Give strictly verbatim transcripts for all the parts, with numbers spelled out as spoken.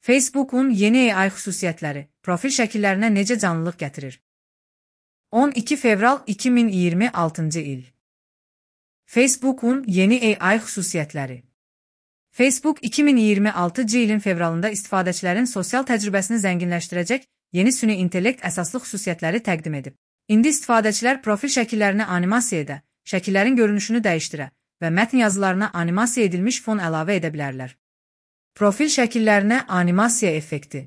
Facebook'un yeni A I xüsusiyyətləri profil şəkillərinə necə canlılıq gətirir? on iki fevral iki min iyirmi altıncı il. Facebook'un yeni A I xüsusiyyətləri. Facebook iki min iyirmi altıncı ilin fevralında istifadəçilərin sosial təcrübəsini zənginləşdirəcək yeni süni intellekt əsaslı xüsusiyyətləri təqdim edib. İndi istifadəçilər profil şəkillərini animasiya edə, şəkillərin görünüşünü dəyişdirə və mətn yazılarına animasiya edilmiş fon əlavə edə bilərlər. Profil şəkillərinə animasiya effekti.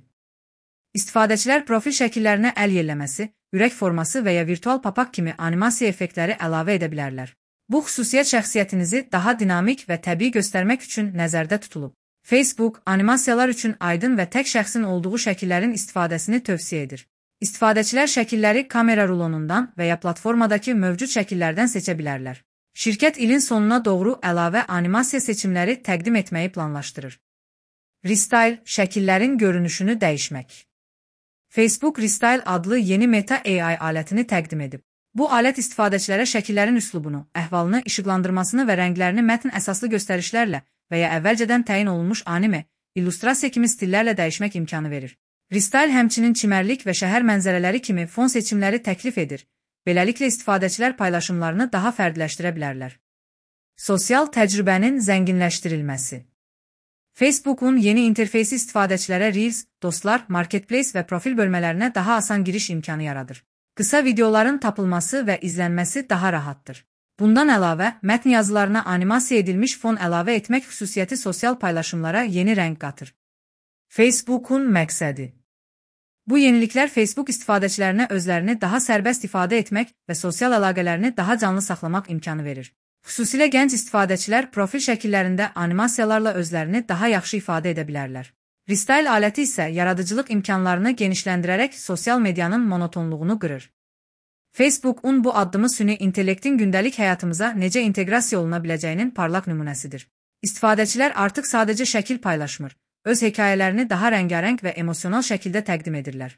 İstifadəçilər profil şəkillərinə əl yelləməsi, ürək forması və ya virtual papaq kimi animasiya effektləri əlavə edə bilərlər. Bu xüsusiyyət şəxsiyyətinizi daha dinamik və təbii göstərmək üçün nəzərdə tutulub. Facebook, animasiyalar üçün aydın və tək şəxsin olduğu şəkillərin istifadəsini tövsiyə edir. İstifadəçilər şəkilləri kamera rulonundan və ya platformadakı mövcud şəkillərdən seçə bilərlər. Şirkət ilin sonuna doğru əlavə animasiya seçimləri təqdim etməyi planlaşdırır. Restyle, şəkillərin görünüşünü dəyişmək. Facebook Restyle adlı yeni Meta A I alətini təqdim edib. Bu alət istifadəçilərə şəkillərin üslubunu, əhvalını, işıqlandırmasını və rənglərini mətn əsaslı göstərişlərlə və ya əvvəlcədən təyin olunmuş anime, illüstrasiya kimi stillərlə dəyişmək imkanı verir. Restyle həmçinin çimərlik və şəhər mənzərələri kimi fon seçimləri təklif edir. Beləliklə istifadəçilər paylaşımlarını daha fərdiləşdirə bilərlər. Sosial təcrübənin zənginləşdirilməsi. Facebook'un yeni interfeysi istifadəçilərə Reels, dostlar, Marketplace və profil bölmələrinə daha asan giriş imkanı yaradır. Qısa videoların tapılması və izlənməsi daha rahatdır. Bundan əlavə, mətn yazılarına animasiya edilmiş fon əlavə etmək xüsusiyyəti sosial paylaşımlara yeni rəng qatır. Facebook'un məqsədi. Bu yeniliklər Facebook istifadəçilərinə özlərini daha sərbəst ifadə etmək və sosial əlaqələrini daha canlı saxlamaq imkanı verir. Xüsusilə gənc istifadəçilər profil şəkillərində animasiyalarla özlərini daha yaxşı ifadə edə bilərlər. Restyle aləti isə yaradıcılıq imkanlarını genişləndirərək sosial medianın monotonluğunu qırır. Facebook'un bu addımı süni intellektin gündəlik həyatımıza necə inteqrasiya oluna biləcəyinin parlaq nümunəsidir. İstifadəçilər artıq sadəcə şəkil paylaşmır, öz hekayələrini daha rəngarəng və emosional şəkildə təqdim edirlər.